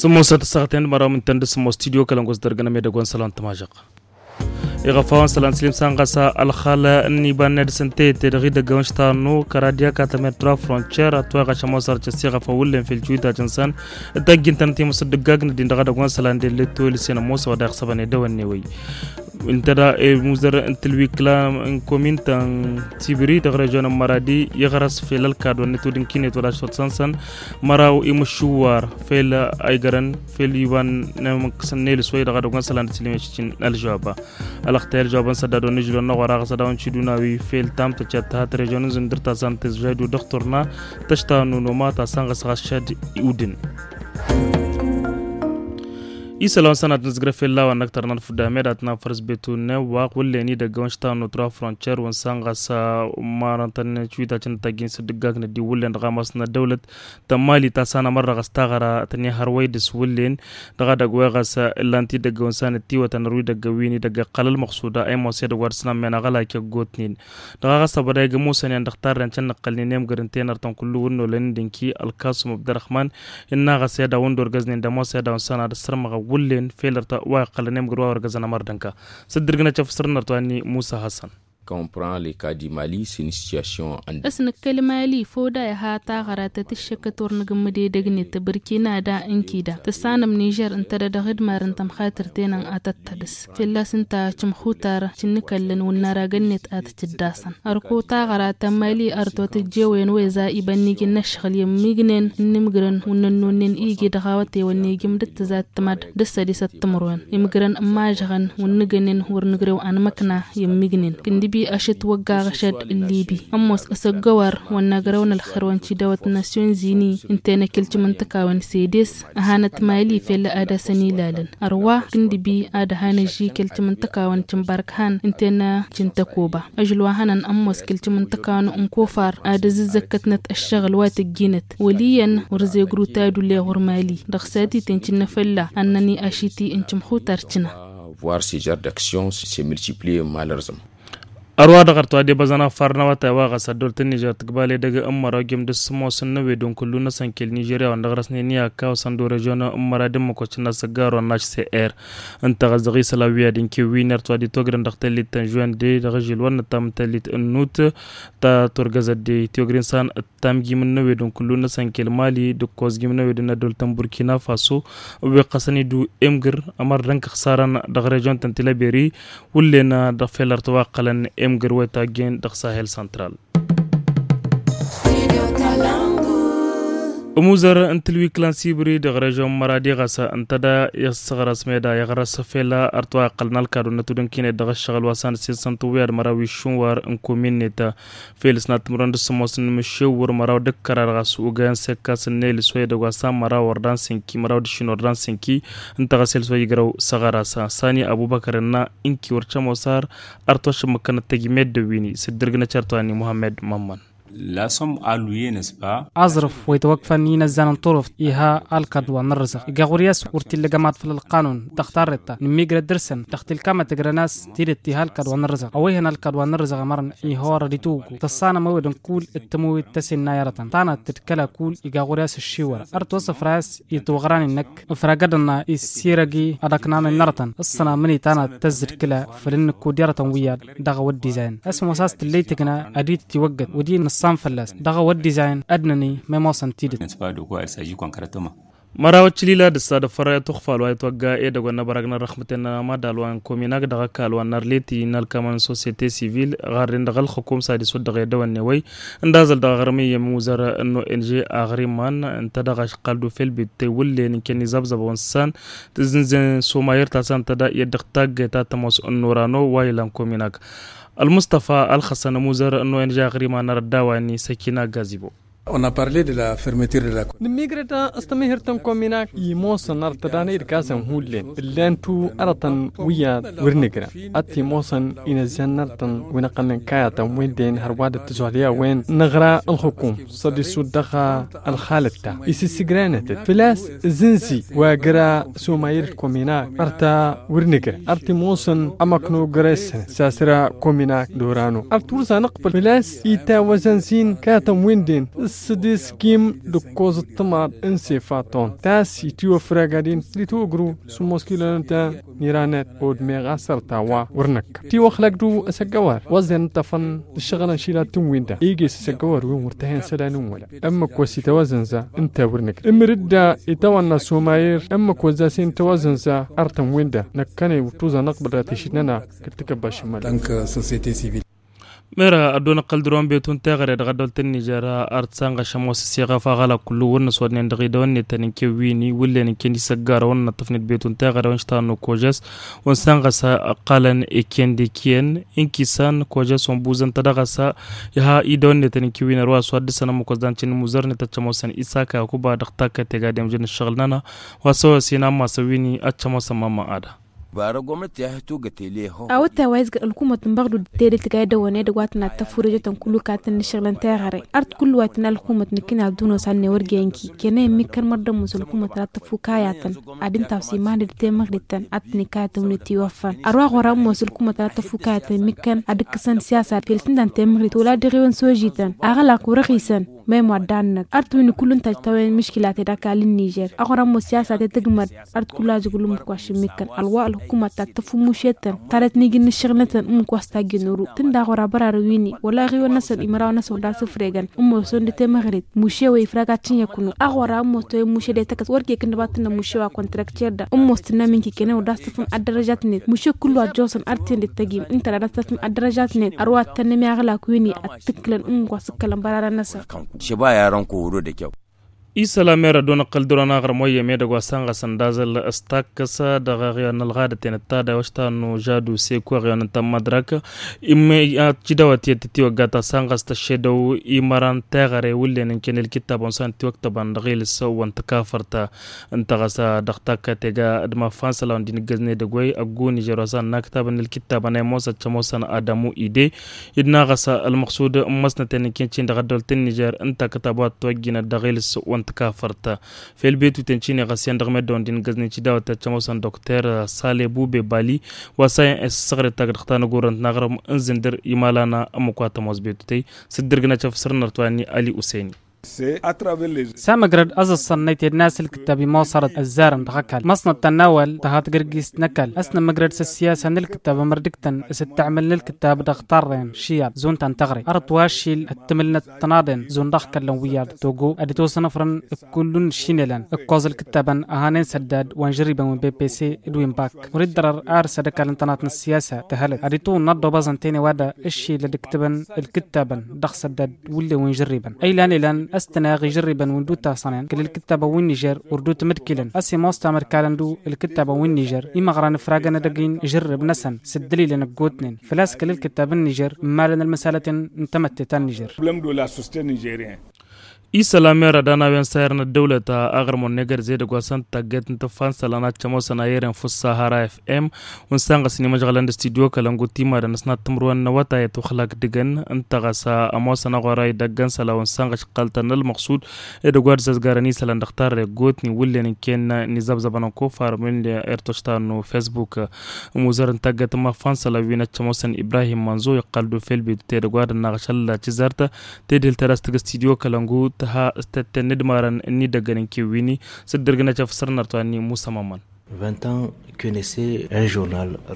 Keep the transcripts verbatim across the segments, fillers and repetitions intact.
Sǝmmos ad-tăssaɣăten d-măraw mǝntăn d-sǝmmos studio kălăngos dăr-găn amedăgg wa n-isălan tămažăɣ. Iɣăfawăn isălan sǝlim sanɣasa ălxal n-iba n-nedăs n-teyătte dăɣ-idăgg wa n-ištănnu kăradiyăk a tămer tura frontier ătwăyɣaš ămoos arcăs iɣăfawăn wǝllen fel tiwitacăn săn. Tăjjintăn timǝs d-ǝggag n-ăddin dăɣ-edăgg wa n-isălan delle toyǝlsen ămoos a-wa dăɣ-săbăn edăwănne wăyy. Ǝnta da i-muzăr n-tǝlwikla n-komin ta n-tibri dăɣ-režion n-măradi iɣrăs fel ălkadwăn n-tudǝnkinet wăla s-tăt-săn-săn. Măraw imǝššuwar fel a igrăn fel iba n-emăkk s-ănnelǝs wăyy dăɣ-edăgg wa n-isălan d-sǝlǝm i-ašǝcin ălžăwaba. Ălăxtay ălžăwaba n-sădda d-wa n-ižlon n-ăɣora ɣas ad-dăɣ-awăn ciduna wi fel tamtăcet tăhat režion n-zǝndır ta s-an tǝzžaydu dăɣ-turna tăšta n-unuma ta s-an ɣas ɣas šad iwdǝn. Isălan sănat nǝzgrăf illa wa n-ăktăr n-ălfudda medat n-afăr s-betu n-ewwaq wǝllen idăgg wa n-ištanu tura frontier wa n-sănɣas. Marăn tăn-cwitacăn n-tăjjin s-dd-ǝggagn ăddiw wǝllen dăɣ-amas n-ăddăwlăt tămmali ta s-anămărrăɣ s-taɣăra tănihăr wa idǝs wǝllen. Dăɣ-edăgg wa iɣas illan tidăgg wa n-săn ǝttiwătăn ărwi idăgg wi n-idăgg iqqăl ălmăqsuda a imoos edăgg wa dăr-săn ămmen aɣălak i-ăggootnen. Dăɣ-a ɣas ăbăda igǝmmusăn i-an dăɣ-tarren cănnăqqălnen i-imgăr ǝnta i-nărtăn kullu wǝnnolăn n-dănki ălkasum abdărăxman. Innă ɣas i-ad-awăn d-orgăznen d-ămoos i-ad-awăn săn ad-ăssărmăɣ wǝllen fel ărtăn wa iqqălăn i-imgăr wa orgăzăn ămărdănka. S-dd-irgǝnăt i-afǝsrǝn nărtăn wa n-musa hassan. Comprend le cas du mali s-in situation. Ăsnăkkăl mali făw da iha taɣăra tăt-ǝššăkăt wăr nǝgǝmmǝd edăgnet bărkina da ǝnkida tǝssanăm nižer ǝnta da dăɣ-idmar n-tămxatăr tenăn ad-tăt-tădǝs. Fălla-s ǝnta cǝmxutar cǝnnǝkăllăn wǝnnaragăn-net ad-t-tǝddasăn. Ărko taɣăra ta n-mali ărtotăt jewen weza iba n-iji n-ăššăɣǝl i-ămmiignen n-imǝgrăn wǝnnănnonnen iji dăɣ-awătewăn n-iji m-dd-tǝzat tǝmad d-ǝssădis ăttămărwen imǝgrăn n-imažăɣăn wǝnnǝgănen wăr nǝgrew anmăkna i-ămmiignen kǝndǝbi ašăt wăgg aɣăšăd n-libi ămoos asăggăwăr wănnăgrăwăn ălxer wa n-tidawăt n-nasyon zini ǝnta i-năkilcǝm n-tǝkawen sedes. Ăhanăt mali fel ad-asăn ilalăn ărwa kǝndǝbi ad-ăhan ăžži kăl-cǝm n-tǝkawăn cǝmbark han ǝnta i-năcǝn tăkoba. Ăžăl wa hănăn ămoos kăl-cǝm n-tǝkawăn n-kofar ad-ăzǝzzăkkătnăt ăššăɣǝl wa tăjjinăt wăl' iyyăn wăr zegru tadule ɣur-mali dăɣ-satităn cǝnnă fălla ad-năni ašiti n-cǝmxutar cǝna. Voir ce genre d'action se multiplier malheureusement. Ărwa dăɣ-ărtwa d-ebăzăn afar n-awătay wa ɣas ăddăwlăt n-nižer tǝgbal edăgg n-măraw jăm d-sǝmmos n-năwed n-kullu n-asănkel nižerya wa n-dăɣ-răsnen i-akka osăn d-orăžyon n-mărad n-măkoc n-asăggar wa n-hcr. Ǝnta ɣas dăɣ-isălan wi ad-inkewwin ărtwa d-itwăgrăn dăɣ-tellit ta n-žuwende dăɣ-ažil wa n-nǝttam n-tellit n-nut ta turgăzăt d-tiwăgrin san. Tamjim n-năwed n-kullu n-asănkel mali d-ǝkkoẓjim n-năwed n-ăddăwlăt n-burkina faso ǝwweɣ ɣasăn idu emgǝr ămăr dănk ăxsarăn dăɣ-režion ta n-tilăberi. Wǝllen dăɣ-fel ărtăwa ǝqqălăn emgǝr wa itajjen dăɣ-sahel santral. Ămuzăr n-tǝlwikla n-sibri dăɣ-režion n-măradi ɣas ǝntăda i-ăssăɣrăs meda iɣrăs fel ărtăwa iqqălăn ălkadon n-atudǝnkinet dăɣ-ăššăɣǝl wa s-anăssessăn tǝwwǝyad măraw iššǝnwar n-kuminnet. Fel s-nat timǝrwen d-sămoos n-imǝššewwăr măraw d-ǝkkărar ɣas ugay n-sekkas n-elǝs wa edăgg wa s-an măraw wăr dan sǝnki măraw d-iššǝn wăr dan sǝnki. Ǝnta ɣas elǝs wa ijrăw s-aɣăras sani abubăkăr ǝnna ǝnki wăr cămosar. Ărtăwăš ǝmmǝkkănăt tăjmed d-ăwwini s-dd-irgǝnăt certwani muhammed mămmăn. Lasom aluye năsba. Aẓrǝf wa itwăkfăn inăzzan n-turǝft iha alkăḍ wa n-ărrǝzăɣ iga ɣur-i a-s wăr t-illa gămaḍ făll-ălqanun dăɣ-tarretta nǝmmigrăt dăr-săn dăɣ-tilkam a tǝgrăn a-s tidǝt iha alkăḍ wa n-ărrǝzăɣ a-wa ihăn alkăḍ wa n-ărrǝzăɣ ămărăn ihorăd itwǝggu tăssanăm ăwed n-kull d-tămăwit ta s-innă i-arătăn tanăt tǝdkăla kull iga ɣur-i a-s ǝššiwăr ărtwăs ăfra a-s itwăɣran-i n-năkk ǝfragăd-ănna issirăgi ad-ăknanăn n-arătăn ǝssăna mǝni tanăt tăzzǝdkǝla făll-ǝnnǝk kud-i arătăn wi ad-dăɣ-awăddizayen a-s ămoos a-s tǝllăy tǝkna ad-dd-tiwăggăd wădden nǝssan fălla-s dăɣ-awăddizayen ad-năni ma ămoosăn tidǝt. Măraw ăččălila d-ǝssa d-afăra i-tuxfal wa itwăgga edăgg wa n-abărag n-ărrăxmăten n-amadal wa n-kominag dăɣ-ăkall wa n-arleti n-alkămăn n-sosiyete sivil ɣarren dăɣ-ălxukum s-ad-iswăt dăɣ-edăwănne wăy. Ǝndazăl dăɣ-aɣrǝm iyyăm imuzăr n-ong aɣriman ǝnta dăɣ-ašăqqal d-ufel bittăy wǝllen n-kănni zăbzăbăwăn s-san tǝzzǝnzen somayăr ta s-ăntăda i-ăddăɣ taggăyt ta tămoos n-urano wa ilan kominag. Ălmustăfa ălxăsăn ămuzăr n-ong aɣriman arăt d-a-wa n-isăkina gazibo. Nǝmmigrăt s-tămihǝrt n-kominak imoosăn arăt tădanăy d-kasăn hullen ǝllan-tu arătăn wi ad-wăr nǝgrăn ad-t-imoosăn inăzzan n-arătăn wi n-ăqqălnen kayatăn-wen-den hărwa dd-tǝzwălya-wen năɣra ălxukum săḍisut dăɣ-ălxalăt ta isǝssǝgranăt-dd făl-a-s ǝzǝnzi wa jăra s-umayǝr d-kominak ărta wăr nǝgrăn ărta imoosăn ămăkno găres-săn s-asǝra kominak d-orano ărta wăr-s anăqbăl făl-a-s itawăzăn s-in kayatăn-wen-den. Sădis kim d-ǝkkoẓ ǝṭṭǝmaḍ n-sefa ton tas itiwăfrăg ad-intǝl itwǝgru sǝmmos kilonăt n-iranet. Odmeɣ asăr ta wa wăr năkk tiwăxlăk d-asăggăwar wăẓen ǝṭṭăfăn d-ǝššăɣǝlăn šila tǝnwinda iges asăggăwar wi wăr tăhen isălan n-wăla. Ǝmmǝk wa s-itawăzănza ǝnta wăr năkk ǝmrǝdda itawănna s-umayir ǝmmǝk wa s-asin itawăzănza ar tǝnwinda năkkăne wăr tuzănăɣ băra tišǝnnăna. Kăl-tǝkăbba šǝmmăl. Mera ad-dd-onăqqăl dăr-wăn betu n-teɣăre dăɣ-ăddolt n-nižer ar t-sanɣăš ămoos s-iɣăf aɣălak kullu wăr năswădnen dăɣ-idăwănnetăn n-kewwini wǝllen n-ken isăggarăwăn năṭṭăfnet betu n-teɣăre wa n-ištannu kožes. Wa n-sanɣăs ăqqalăn iken d-iken n-kisan kožes wa n-buzăn-tădăɣ a-s iha idăwănnetăn n-kewwini ărwa s-wa dd-săn ămmăk wa s-dan cin n-imuzărnet ad-t-ămoosăn isaka yakuba dăɣ-takkăt tegadem jăn ǝššăɣǝl-nănăɣ. Wa s-ăwăsin ammas ăwwini ad-t-ămoosăn mama ada. Awătay wa izgăr ălkumăt n-băɣdu d-tedăt tǝgay dăwăne dăgg-wa tǝnna tăfurejătăn kullu katăn n-ašăɣlăn teɣăre. Art kullu wa tǝnna ălkumăt nǝkkǝn ad-dunos a-nen wăr găyănki kena immikkăn mărdămmus ălkumăt ad-tăfukayatăn ad-ǝnta a-s iman d-temăɣrităn ad-tǝnikayatăn wi n-itiwăffăn. Ărwa ɣur-a ămmos ălkumăt ad-tăfukayatăn immikkăn ad-ǝkkǝsăn siyasa fel s-ǝndan temăɣrit wăla dăɣ-iwăn s-ožităn aɣălak wăr-ăɣisăn. Mem wa dd-annăt art win-i kullu ǝnta a ǝjtawăyăn miškila-te d-ăkall n-nižer aɣur-ămmos siyasa-te tǝgmăd. Art kullu a zǝgǝl ǝmmǝk wa šǝmmikkăn ălwa ălhukumăt ta t-tăffu mušetăn. Tarăt n-iji n-ašăɣlătăn ǝmmǝk wa s-tajjăn oru tǝnda ɣur-abărarăn wi-ni wăla aɣiwăn-năsăn imărawăn-năsăn wăr dd-asǝfregăn. Ǝmmosăn d-temăɣrit muše wa ifrag ad-t-in-ikǝnu aɣur-a ǝmmos toyăn muše d-etăkăs wăr kek ǝnnăba ad-tǝnnăn muše wa kăntărăkter-dăɣ ǝmmos tǝnna min kikănen wăr dd-asǝfǝm ad-dărăžatnet muše kullu ad-joẓăn art-in d-tăgim ǝnta d-ad-asǝfǝm ad-dărăžatnet ărwa ad-tănnăm i-aɣlak wi-ni ad-t-ǝkkǝlăn ǝmmǝk wa s-ǝkkălăn bărarăn-năsăn. Šăba i-arăn kăwăro d-ekăw. Isălan mera ăddoon ăqqăl dăr-wăn aɣrǝm wa iyyăm edăgg wa s-anɣăsăn d-azăl s-takkăs dăɣ-eɣyon n-ălɣadăt-en d-tadawăš ta n-ožadu seko eɣyon n-tămmădrăk. Immăyya cidawăt i-dd-tătiwăgga ta s-anɣăs tăššedăw imăran teɣăre wǝllen n-kănel kittabăn wa s-an tiwăktăbăn dăɣ-ilǝs wa n-tăkafărt. Ǝnta ɣas dăɣ-takkăt ega d-mafan isălan wa n-dinăggăzne dăgg-way ăggu nižer wa s-an n-aktabăn n-ălkittabăn a imoos ad-t-ămoosăn adamu ide. Idna ɣas ălmăqsud n-măsnăten n-ken-tin dăɣ-ăddolt n-nižer ǝnta kătab wa t-tăwăjjinăt dăɣ-ilǝs wa n-tăkafărt. Fel betu-ten cine ɣas iyyăn dăɣ-meddǝwăn dinăggăznen cidawăt i-ad-t-ămoosăn dokter sale bube bali wa s-a iyyăn s-săɣre tagg dăɣ-tanăgurrănt n-aɣrǝm n-zǝndǝr imalana ǝmmǝk wa tămoos betu-tey. S-dd-ǝrgǝnăt šăf săr-nărăt wa n-ali useni. Samăgrăd ăẓẓănnăy tednas ǝlkǝttab imosărăt ăzzarăn dăɣ-ăkall măsnăt tănnawăl tăha tǝgărgist n-ăkall ăsnămmăgrăd s-ăssiyasa n-ǝlkǝttab ămărdǝktăn s-ǝttăɣmǝl n-ǝlkǝttab dăɣ-tarren šiyab zun ta n-tăɣre ărăt wa ašil ăttămǝlnăt tănaḍen zun dăɣ-kăllăn wi ad-togo ad-itwăsnăfrăn. Kullu n-ašinelăn ǝkkoẓ ǝlkǝttabăn ăhanen săddad wa n-žărribăn wi n-bepese d-wi n-bak. Wăr-dd-ărăr ar s-ad-ăkall n-tănaḍt n-ăssiyasa tăhălăt ad-itwǝnnăḍ d-obăẓăn tene wa da ǝššil ad-ǝktǝbăn ǝlkǝttabăn dăɣ-săddad wǝllen wi n-žărribăn ăylan ilan ăstăneɣ ižărribăn wi n-dd-utasănen kăl-ǝlkǝttabăn wi n-nižer wăr dd-utmǝdkǝlăn ăsimos tamărkalăn d-ǝlkǝttabăn wi n-nižer. Imăɣran ǝfragăn edăgg-in ižărrib-năsăn s-ǝddǝlilăn ăggootnen făl-a-s kăl-ǝlkǝttab n-nižer ǝmmalăn ălmăsalăten n-tamătte ta n-nižer. Isălan mera d-anawăn sayărăn ăddăwlăt aɣrǝm wa n-egărz edăgg wa s-ănn tagget n-tǝffa n-isălan ad-t-ămoosăn ayăren fǝssahara f-m wa n-sanɣăsăn imăžɣălăn d-studyo kălăngut timadăn ăsnat timǝrwen n-awătay ătwăxlak dăgg-en. Ǝnta ɣas ămoosăn aɣora idăgg n-isălan wa n-sanɣăš ǝqqăl-tăn n-ălmăqsud edăgg wa dd-zăzgarăn isălan dăɣ-tarre ăggootnen wǝllen n-ken n-izăbzăbăn ănkofar min-irtoštanu fesbuk. Ămuzăr n-tagget n-imăffa n-isălan wi n-ăccămoosăn ibrahim mănzo iqqăl d-ufel bidut edăgg wa dăɣ-naɣăš ălla tizărt tedhǝlt ta d-a-s tǝgg studyo kălăngu tǝha s-tătten n-idmarăn n-idăggăn n-kewwini. S-dd-ărgǝnăt efăsăr n-artwani musa mămăn.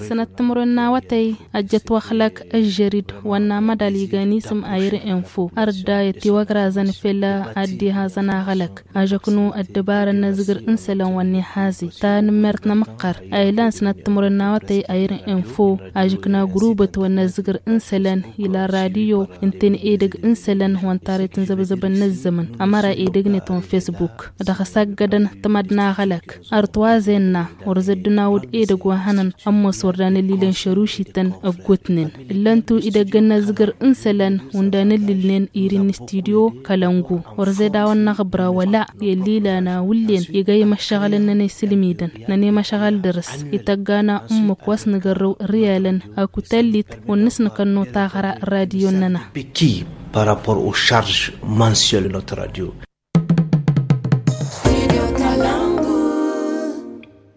Sănăt timǝrwen n-awătăy ăjjăt wăxlăk ăžžărid wa n-amădal igan isǝm ayr info ărda i-tiwăgrazăn fell-a ad-dd-ihazăn aɣălăk. Ažăknu ăddăbarăn n-azǝgr n-isălan wa n-ihaze ta n-mert n-amǝqqăr a ilan sănăt timǝrwen n-awătăy ayr info. Ažǝkna grubăt wa n-azǝgr n-isălan ila radiyo ǝnta n-edăgg n-isălan wa n-taret n-zăbzăbăn n-ăzzămăn ămăra edăgg-net wa n-fesbuk. Dăɣ-s ăggădăn tǝmăd n-aɣălăk ărtwazenna. Wăr zăddǝnawăd edăgg wa hănăn ămmos wăr danăllilăn šărušităn ăggutnen. Ǝllăn-tu idăggăn n-azǝgr n-isălan wa n-danăllilnen irin n-studyo kălăngu. Wăr zed a-wa n-năɣbra wăla i-ăllilana wǝllen iga imăššăɣălăn-nănăy s-ǝlmidăn nănăy măšɣăl dăr-s ităggana ǝmmǝk wa s-nǝgărrăw riyalăn. Akut ăllit wa n-nǝsnǝkănnu taɣra n-radiyo-nănăɣ. Peki par rapport o charge mensuel n-notre radio.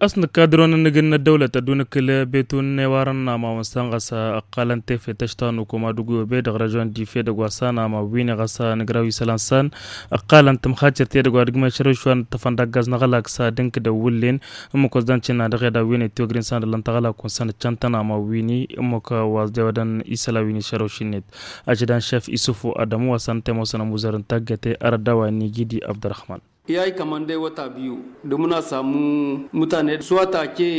A-s nǝkka dăr-wăn n-inǝgǝn n-ăddăwlăt ădduun ǝkkǝl, betun n-ewar n-ama wa n-san ɣas ăqqalăn tefe tăštanu koma d-ugu obe dăɣ-režion dife dăgg-wa s-anama wi-ni ɣas a nǝgraw isălan s-an ăqqalăn tǝmxacer-t edăgg wa dăgg-meša răwš wa n-ǝṭṭăfăn d-aggaz n-aɣălak s-ad-ǝnkǝdăn wǝllen. Ǝmmǝk wa s-dăncǝnna dăɣ-eda wi n-etiwăgrin s-an dăllăn taɣălak wa n-săn ǝccăn tănama wi-ni ǝmmǝk wa s-dewădăn isălan wi n-išărăwš-net. Ašădan šef isufu adămu wa s-an temosăn ămuzăr n-taggăte arădda wa n-igidi abdărăhman. I-a ikămăndăy wăta biyu d-muna samu mutane s-wata ke.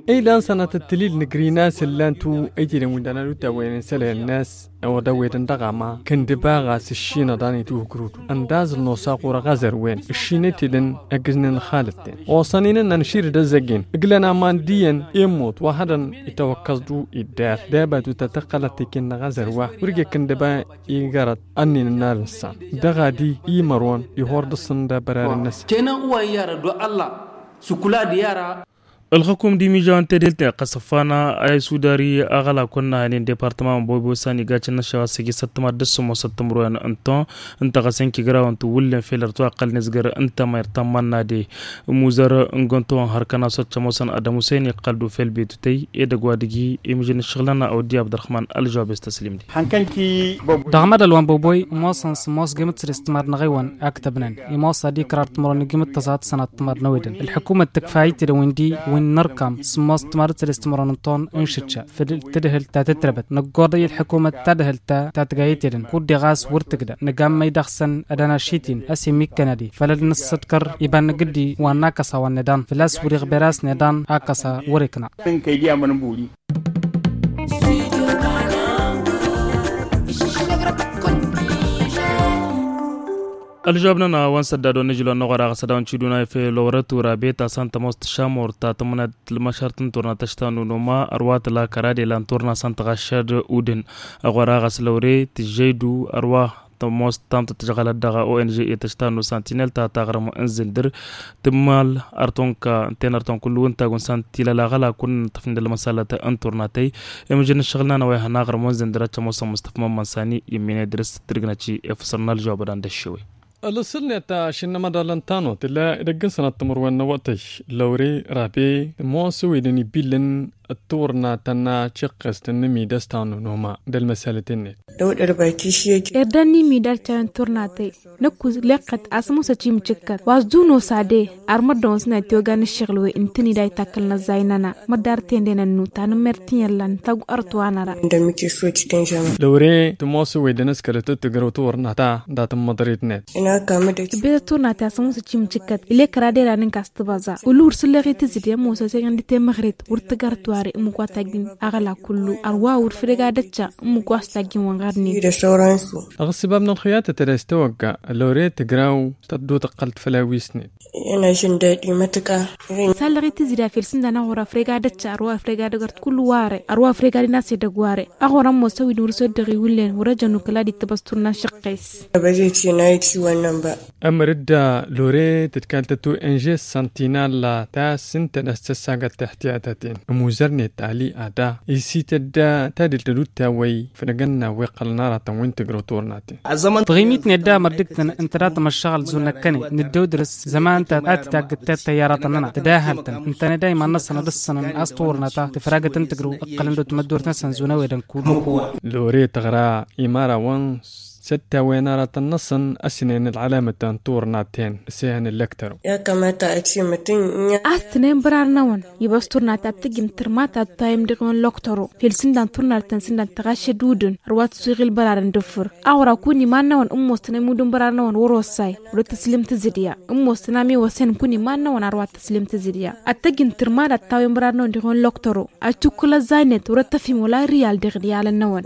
Ăydan sănatăt tǝlil nǝgri n-a-s ǝllan-tu ăytidăn wi n-dăɣ-nădutawăyăn n-sălăyăn n-a-s ăwădăwedăn dăɣ-ama kăndǝba ɣas ǝššinăḍan itwǝhǝkrǝwtu ăndazăl n-osaɣur ăɣazărwen ǝššinăytidăn ăggǝznen ălxalăt-ten. Osăn-in ǝnnăn ǝšširǝd ăzzăggen ǝglăn aman d-iyyăn i-ămmut wa hădăn itawăkkăẓ-du iddar debatu ta tăqqălăt iken n-aɣazăr wa wăr ija kăndǝba igărăt ănnin ǝnnar n-san dăɣ-ad-i imărwăn ihor dăɣ-săn d-abărarăn-năsăn. Kenăn uway i-ara do ălla s-ǝkula-di i-ara. Ălxǝkum d-imižaw n-tedhelt n-iqqăs ăffana a isudari aɣălak wa n-năhănen departăma n-bobo s-an igacăn n-ašăwa s-agi săttămad d-ăssumos ăttămruyăn n-ton ǝnta ɣas ănkigraw n-tiwǝllen fel ărtwa ăqqălăn izgăr ǝnta ma irtammănna de. Ămuzăr n-găntăwăn hărkăn a-s occăm osăn adămusăyăn iqqăl d-ufel betutăy edăgg wa dăgg-i imǝžăn ǝššăɣǝl-nănăɣ a wăddi abdărăhman ălžawab s-tăslim-di. Dăɣ-mădăl wa n-băboy ămoosăn sǝmmos gimǝt s-dăɣ-s timadnăɣ-iwăn a ǝktăbnen imoos ad-ikrar timǝrwen igimǝt tăẓat sănat timadnăwedăn ălḥukumăt tǝkfa itedăn wi n-di wi n-inărkam sǝmmos timadăt s-dăɣ-s timǝrwen n-ton n-išǝčča făll-tadhǝlt ta tǝtrăbăt năggoḍăy ălḥukumăt tadhǝlt ta tǝgayătedăn kud-deɣ a-s wăr tǝgdă nǝgammăy dăɣ-săn ad-ănašit-in a-s imikkăn ad-i făll-ad-nǝssǝḍkăr iba n-agǝddi wa n-akăsa wa n-eḍan făl-a-s wăr-iɣber a-s n-eḍan akăsa wăr-ikna. Ălžăwab-nănăɣ wa n-sădda dăɣ-nǝžǝl wa n-năɣora ɣas ad-dăɣ-nǝšiduna efel orăt urabe ta s-an tămoos tǝšamor ta tǝmǝnat lămăšart n-turna tăšta n-unuma ărwa tǝla kăra d-elan turna s-an tăɣaššad udǝn. Ăɣora ɣas lăwre tǝžžăydu ărwa tămoos tamtăt tǝžɣălăt dăɣ-ong i-tăšta n-usantinel ta taɣrǝm n-zǝndǝr tǝmmal artonka ǝnta-en arton kullu ǝnta gun s-an tilăl aɣălak wa n-inǝṭṭăf n-dăl-măsalăt n-turnatăy. Imǝžăn ǝššăɣǝl-nănăɣ wa ihăn aɣrǝm wa n-zǝndǝr ad-tămoosăn mǝstăf mămmăn sani imminedrǝs tǝrgǝnăt i-efăsăr n-ălžăwăbăd anda ăššewăy. Ălăsăl-net ašǝnnăm ad-dăɣ-lăn tanot tǝlla edăgg n-sănat timǝrwen n-awătăy lăwre rabe tămoos ăwedăn ibilăn d-turna tănna ciqqest n-imidăs ta n-unuma d-ălmăsalăt-net. Irdan n-imidăr căyăn turnatăy năkk wǝzleɣ-kăt asǝmmusăt imǝcǝkkăt wa s-dunosa de. Ar măddon s-net i-ogan ǝššăɣǝl wen ǝntǝnǝy da itakkălnăt zaynăna măddar tendăynăt nu tanǝmmert-in ăllan tagg ărtwanăra. Lăwre tămoos ăwedăn s-kălăt d-tǝgrăw turna ta dat-ǝmmăḍrit-net. Tǝbbet ăturnat i-asǝmmusăt imǝcǝkkăt ile kăra d-eran n-kas tǝbăẓa uluwǝr s-ǝlleɣ-i tǝzǝde ămoos ăsegăn d-temăɣret wăr tǝgg ărtware ǝmmǝk wa tajjǝn aɣăla kullu ărwa wăr făl ega dăcca ǝmmǝk wa s-tajjǝn wănɣarnen. Ăɣsǝbab n-ălxǝyatăt ădăs tawăgga lăwre tǝgraw s-tăddu tăqqălt făll-awisnen. Ena žǝndăd imătǝka. Sallăɣ-i tǝzǝda fel sǝndan aɣora frega dăcca ărwa frega dăgărt kullu ware ărwa frega d-inas edăgg ware. Aɣora n-mosăwid wăr-s oddăɣ iwǝllen wăr-ăjăn ukǝl ad-ittăbăs turna n-išăqqes. Ămăr-dd lore tǝdkal tăt-o n-žes săntinal ta s-ǝntănăs tăssagăt tihtiyatăten ămuzăr-net ali ada isităd tadǝlt tădut tawăy făl ăgg-ănna wi ǝqqălăn aratăn wi n-tǝgrăw turnaten. Tăɣimit-net da mărdǝg-tăn ǝnta dat-măššăɣăl zun năkkăne nǝddăw dăr-s zăman-ta ad-titaggǝd tăyyaratăn-nănăɣ tǝdahăl-tăn ǝntăne da iman-năsăn ad-ǝssănăn a-s turna ta tǝfragăt n-tǝgrǝw ǝqqălăn d-otmăddurt-năsăn zun ăwedăn kullu. Lore tăɣra imărawăn s-ăttawăyăn aratăn-năsăn ăsnen ălɣălamăt ta n-turna ten s-ehăn ǝllăktărăw. A-s tǝnen bărar-năwăn ibas turna ta tǝjǝm tǝrma ta tǝtwayăm dăɣ-iwăn loktăro fel sǝndan turna ta n-sǝndan tăɣašăd udǝn ărwa tǝswiɣ ilbărarăn d-ǝffǝr. Aɣra kun iman-năwăn ǝmmos tǝnăm udǝn bărar-năwăn wăr-ossay wăr-ăttăslǝm tǝzǝdya ǝmmos tǝnam iwăsen kun iman-năwăn ărwa tǝslǝm tǝzǝdya. Ad-tăjǝn tǝrma dat-tawăyăm bărar-năwăn dăɣ-iwăn loktăro ad-tukkǝl ăzzaynet wăr-ăttăfim wăla riyal dăɣ-riyalăn-năwăn.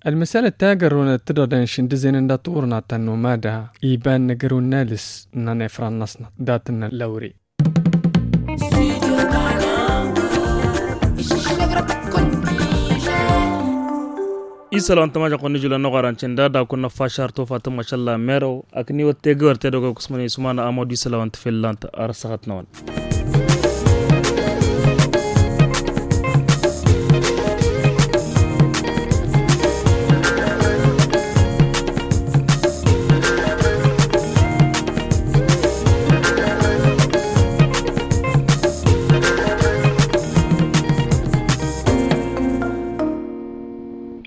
Ălmăsalăt ta gărrăwnăt tǝdăḍen šindǝzenen dat-turna ta n-umada iba n-agărăw n-alǝs n-anefran-năsnăt dat-năn lăwre. Isălan tămažăɣ-kăwăn nǝžǝlăn n-oɣaran cǝnda da kun-năffašar tofatăn mašalla merăw akǝniwăt tegăwăr tedăgg wa kusmănen isumana amădu isălan tǝfellant ar săɣăt-năwăn.